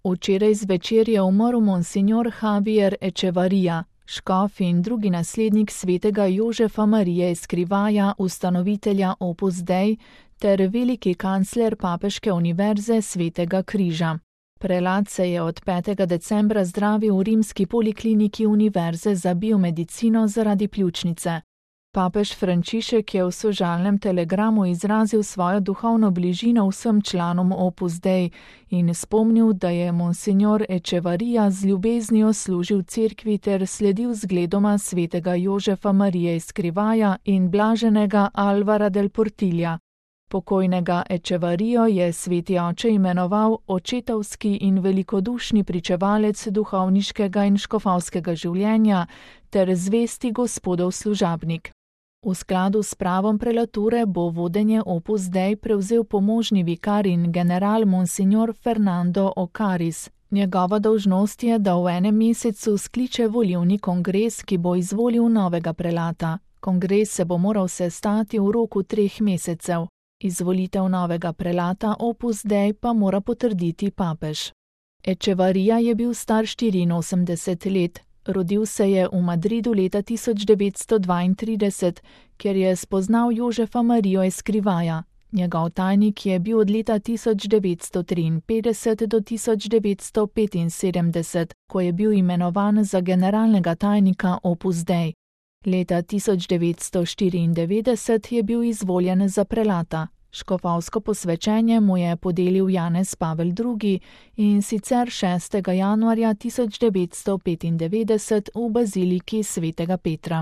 Včeraj zvečer je umrl monsignor Javier Echevarría, škof in drugi naslednik svetega Jožefa Marije Escrivaja, ustanovitelja Opus Dei, ter veliki kancler Papeške univerze Svetega križa. Prelat se je od 5. decembra zdravil v rimski polikliniki Univerze za biomedicino zaradi pljučnice. Papež Frančišek je v sožalnem telegramu izrazil svojo duhovno bližino vsem članom Opus Dei in spomnil, da je monsignor Echevarría z ljubeznijo služil cerkvi ter sledil zgledoma svetega Jožefa Marije Escrivaja in blaženega Alvara del Portilla. Pokojnega Echevarrijo je sveti oče imenoval očetovski in velikodušni pričevalec duhovniškega in škofovskega življenja ter zvesti gospodov služabnik. V skladu s pravom prelature bo vodenje Opus Dei prevzel pomožni vikar in general monsignor Fernando Ocaris. Njegova dolžnost je, da v enem mesecu skliče volilni kongres, ki bo izvolil novega prelata. Kongres se bo moral sestati v roku 3 mesecev. Izvolitev novega prelata Opus Dei pa mora potrditi papež. Echevarría je bil star 84 let. Rodil se je v Madridu leta 1932, kjer je spoznal Jožefa Marijo Escrivaja. Njegov tajnik je bil od leta 1953 do 1975, ko je bil imenovan za generalnega tajnika Opus Dei. Leta 1994 je bil izvoljen za prelata. Škofovsko posvečenje mu je podelil Janez Pavel II. In sicer 6. januarja 1995 v baziliki svetega Petra.